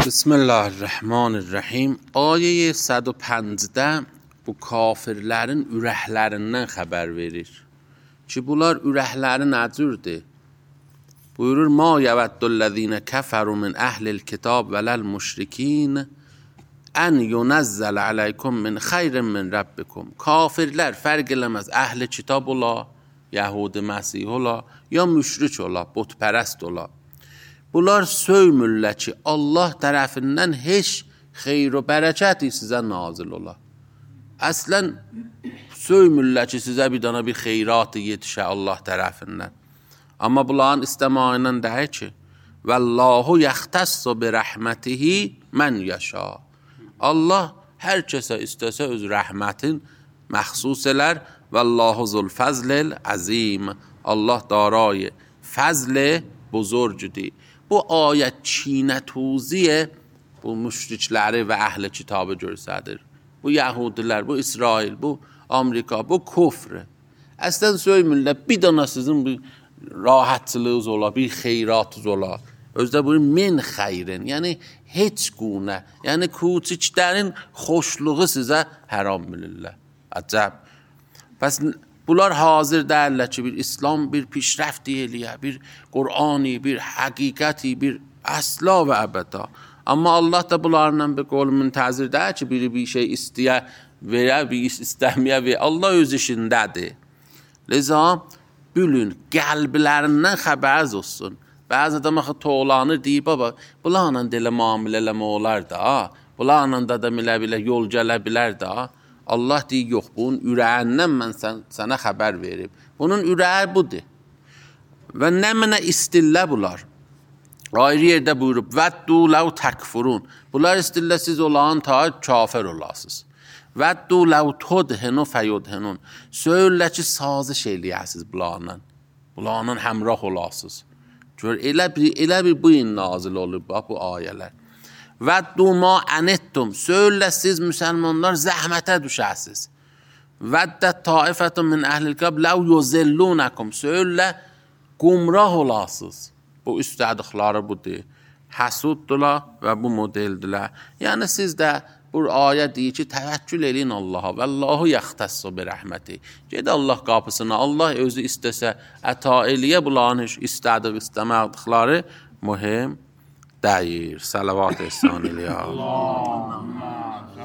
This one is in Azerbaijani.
Bismillahirrahmanirrahim. Ayə 115-də bu kafirlərin ürəklərindən xəbər verir ki, bunlar ürəkləri nəcürdür? Buyurur, ma yəvəddüllezine kəfəru min əhlil kitab vələl müşrikin ən yunəzzəl aleykum min xeyrin min rabbikum. Kafirlər fərq eləməz, əhli kitab ola, Yəhudi Məsih ola, ya müşrik ola, butpərəst ola. Bunlar söymürlər ki, Allah tərəfindən heç xeyr və bərəkəti sizə nazil ola. Əslən, söymürlər ki, sizə bir dana bir xeyratı yetişə Allah tərəfindən. Amma bunların istəməyi ilə deyir ki, Vəllahu yəxtəssu bi rəhmətihi mən yaşa. Allah hər kəsə istəsə öz rəhmətin məxsus elər. Vəllahu zulfəzlil əzim. Allah darayı fəzl buzurcudur. Bu ayət çiynətuziyyə bu müşrikləri və əhl-i kitabı göstərir. Bu Yəhudilər, bu İsrail, bu Amerika, bu küfr. Əslən söymürlər, bir dana sizin bir rahatlığınız ola, bir xeyratınız ola. Özdə bu min xeyrin, yəni heç qunə, yəni küçüklərin xoşluğu sizə haram bilirlər. Əcəb. Pəs bunlar hazır deyirlər ki, bir İslam bir pişrəft eləyə, bir Qur'ani, bir həqiqəti, bir əsla və əbəda. Amma Allah da bunlarla bir qol müntəzir deyir ki, biri bir şey istəyə verə, bir istəməyə verə. Allah öz işindədir. Liza, bülün, qəlblərindən xəbərz olsun. Bəzi adam axı toğlanır, deyib, baba, bunlarla da elə müamilə eləmə olar da, bunlarla da bilə yol gələ bilər da. Allah deyir, yox, bunun ürəyindən mən sənə xəbər verib. Bunun ürəyi budur. Və nə mənə istillə bunlar? Ayrı yerdə buyurub, vəddu ləv təkfurun. Bunlar istillə siz olan ta kafir olasınız. Vəddu ləv tudhenu fəyudhenun. Söylə ki, sazış eləyəsiz bunlarla. Bunlarla həmrah olasınız. Elə bir bu in nazil olub, bu ayələr. Vəddu ma ənettum. Söylə siz müsəlmanlar zəhmətə düşəsiz. Vəddət taifətun min əhlil kitab ləv yuzillunəkum. Söylə qumrah olasınız. Bu istədikləri budur. Həsuddurlar və bu modeldirlər. Yəni siz də bu ayə deyir ki, təvəkkül eləyin Allaha. Vəllahu yəxtəssu bi rəhməti. Ged Allah qapısına. Allah özü istəsə əta eləyə bunların istədik, istəmədikləri mühüm deyir. Salavat ehsan eləyə.